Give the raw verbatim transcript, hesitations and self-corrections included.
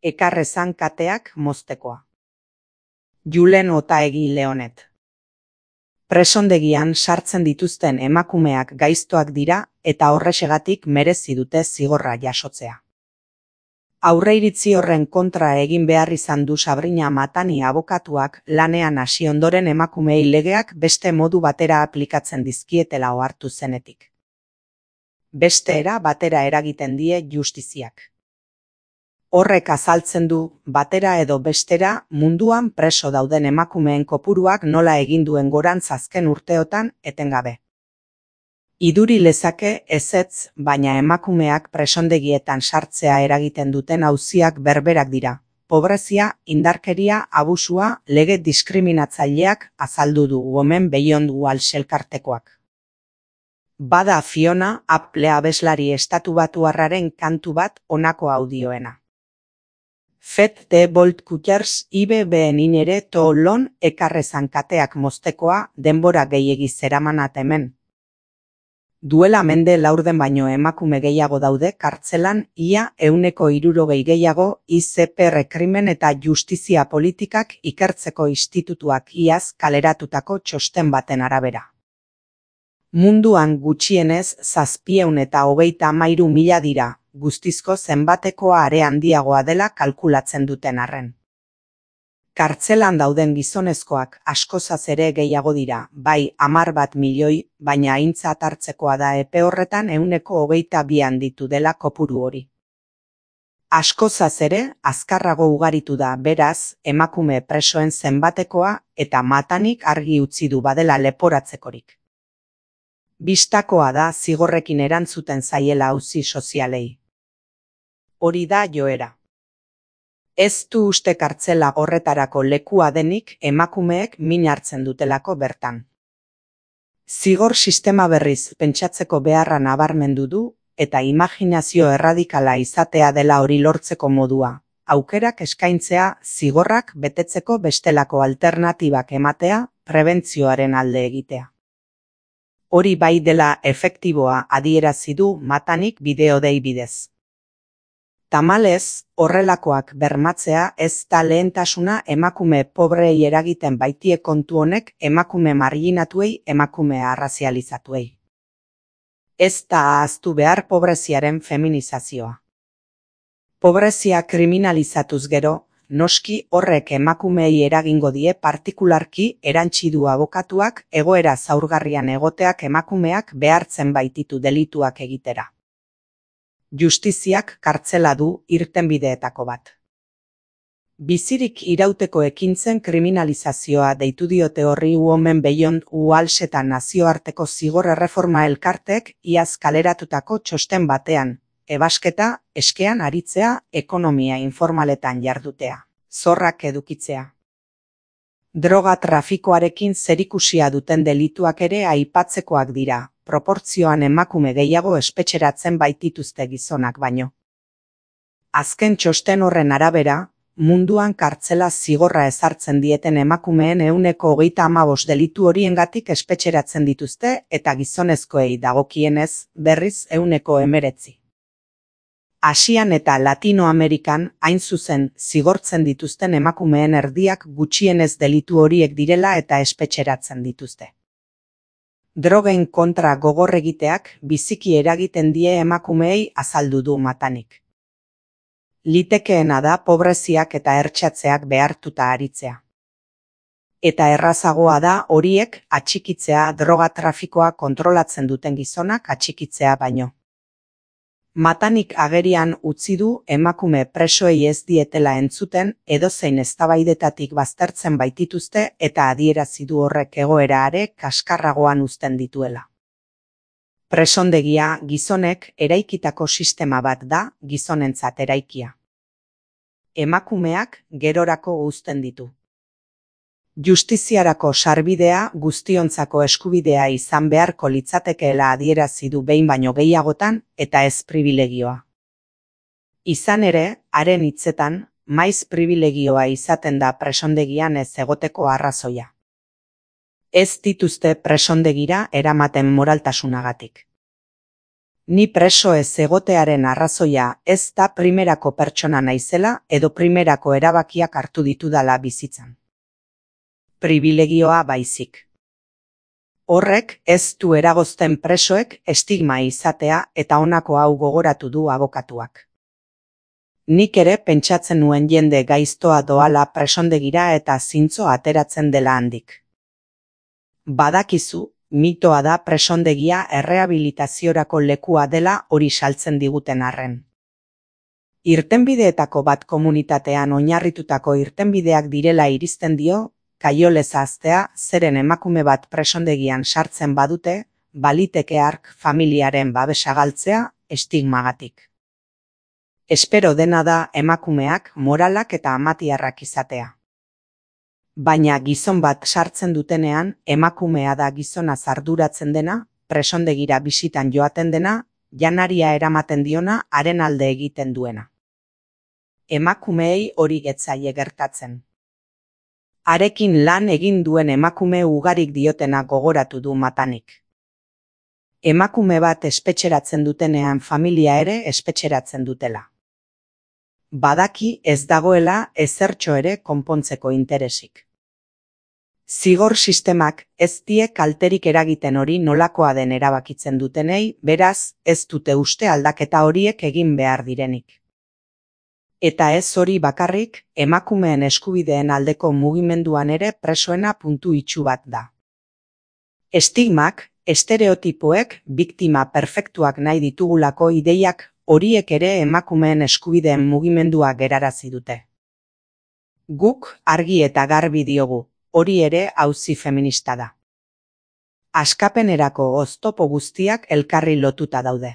ekarrezan kateak moztekoa. Julen Otaegi Leonet. Presondegian sartzen dituzten emakumeak gaiztoak dira eta horrexegatik merezi dute zigorra jasotzea. Aurreiritzi horren kontra egin behar izan du Sabrina Matani abokatuak lanean hasi ondoren emakumeei legeak beste modu batera aplikatzen dizkietela ohartu zenetik. Beste era batera eragiten die justiziak. Horrek azaltzen du, batera edo bestera, munduan preso dauden emakumeen kopuruak nola egin duen gorantz azken urteotan etengabe. Iduri lezake ezetz, baina emakumeak presondegietan sartzea eragiten duten auziak berberak dira. Pobrezia, indarkeria, abusua, lege diskriminatzaileak azaldu du Women Beyond Walls elkartekoak. Bada Fiona Apple abeslari estatubatuarraren kantu bat honako audioena. Fet de Bolt Cutters I B B ninere to lon ekarrezan kateak moztekoa denbora gehiegi zeramanat hemen. Duela mende laurden baino emakume gehiago daude kartzelan ia ehuneko hirurogei gehiago I Z P R krimen eta justizia politikak ikertzeko institutuak iaz kaleratutako txosten baten arabera. Munduan gutxienez zazpieun eta hogeita hamairu mila dira, guztizko zenbatekoa are handiagoa dela kalkulatzen duten arren. Kartzelan dauden gizonezkoak askozaz ere gehiago dira, bai hamar bat milioi, baina aintzat hartzekoa da epe horretan ehuneko hogeita bi handitu dela kopuru hori. Askozaz ere, azkarrago ugaritu da beraz, emakume presoen zenbatekoa eta Matanik argi utzi du badela leporatzekorik. Bistakoa da zigorrekin erantzuten zaiela auzi sozialei. Hori da joera. Ez du uste kartzela horretarako lekua denik emakumeek min hartzen dutelako bertan. Zigor sistema berriz pentsatzeko beharra nabarmendu du eta imaginazio erradikala izatea dela hori lortzeko modua. Aukerak eskaintzea zigorrak betetzeko bestelako alternatibak ematea, prebentzioaren alde egitea. Hori bai dela efektiboa adierazi du Matanik bideodei bidez. Tamalez, horrelakoak bermatzea ez da lehentasuna emakume pobrei eragiten baitie kontu honek emakume marginatuei, emakume arrazializatuei. Ez da ahaztu behar pobreziaren feminizazioa. Pobrezia kriminalizatuz gero, noski horrek emakumeei eragingo die partikularki erantsi du abokatuak egoera zaurgarrian egoteak emakumeak behartzen baititu delituak egitera. Justiziak kartzela du irtenbideetako bat. Bizirik irauteko ekintzen kriminalizazioa deitu diote horri Women Beyond Walls eta nazioarteko zigor erreforma elkartek iaz kaleratutako txosten batean. Ebasketa, eskean aritzea, ekonomia informaletan jardutea, zorrak edukitzea. Droga trafikoarekin zerikusia duten delituak ere aipatzekoak dira, proportzioan emakume gehiago espetxeratzen baitituzte gizonak baino. Azken txosten horren arabera, munduan kartzela zigorra ezartzen dieten emakumeen ehuneko hogeita hamabost delitu horiengatik espetxeratzen dituzte eta gizonezkoei dagokienez berriz ehuneko hemeretzi. Asian eta Latinoamerikan hain zuzen zigortzen dituzten emakumeen erdiak gutxienez delitu horiek direla eta espetxeratzen dituzte. Drogen kontra gogor egiteak biziki eragiten die emakumeei azaldu du Matanik. Litekeena da pobreziak eta ertxatzeak behartuta aritzea. Eta errazagoa da horiek atxikitzea droga trafikoa kontrolatzen duten gizonak atxikitzea baino. Matanik agerian utzi du emakume presoei ez dietela entzuten edozein eztabaidetatik baztertzen baitituzte eta adierazi du horrek egoera are kaskarragoan uzten dituela. Presondegia gizonek eraikitako sistema bat da gizonentzat eraikia. Emakumeak gerorako uzten ditu. Justiziarako sarbidea guztiontzako eskubidea izan beharko litzatekeela adierazi du behin baino gehiagotan eta ez pribilegioa. Izan ere, haren hitzetan, maiz pribilegioa izaten da presondegian ez egoteko arrazoia. Ez dituzte presondegira eramaten moraltasunagatik. Ni preso ez egotearen arrazoia ez da primerako pertsona naizela edo primerako erabakiak hartu ditudala bizitzan. Pribilegioa baizik. Horrek ez du eragozten presoek estigma izatea eta honako hau gogoratu du abokatuak. Nik ere pentsatzen nuen jende gaiztoa doala presondegira eta zintzo ateratzen dela handik. Badakizu, mitoa da presondegia errehabilitaziorako lekua dela hori saltzen diguten arren. Irtenbideetako bat komunitatean oinarritutako irtenbideak direla iristen dio, kaiolez ahaztea zeren emakume bat presondegian sartzen badute, baliteke hark familiaren babesa galtzea estigmagatik. Espero dena da emakumeak moralak eta amatiarrak izatea. Baina gizon bat sartzen dutenean, emakumea da gizona arduratzen dena, presondegira bisitan joaten dena, janaria eramaten diona haren alde egiten duena. Emakumeei hori getzaie gertatzen. Harekin lan egin duen emakume ugarik diotena gogoratu du Matanik. Emakume bat espetxeratzen dutenean familia ere espetxeratzen dutela. Badaki ez dagoela ezertxo ere konpontzeko interesik. Zigor sistemak ez die kalterik eragiten hori nolakoa den erabakitzen dutenei, beraz ez dute uste aldaketa horiek egin behar direnik. Eta ez hori bakarrik, emakumeen eskubideen aldeko mugimenduan ere presoena puntu itxu bat da. Estigmak, estereotipoek, biktima perfektuak nahi ditugulako ideiak horiek ere emakumeen eskubideen mugimendua gerarazi dute. Guk argi eta garbi diogu, hori ere auzi feminista da. Askapenerako oztopo guztiak elkarri lotuta daude.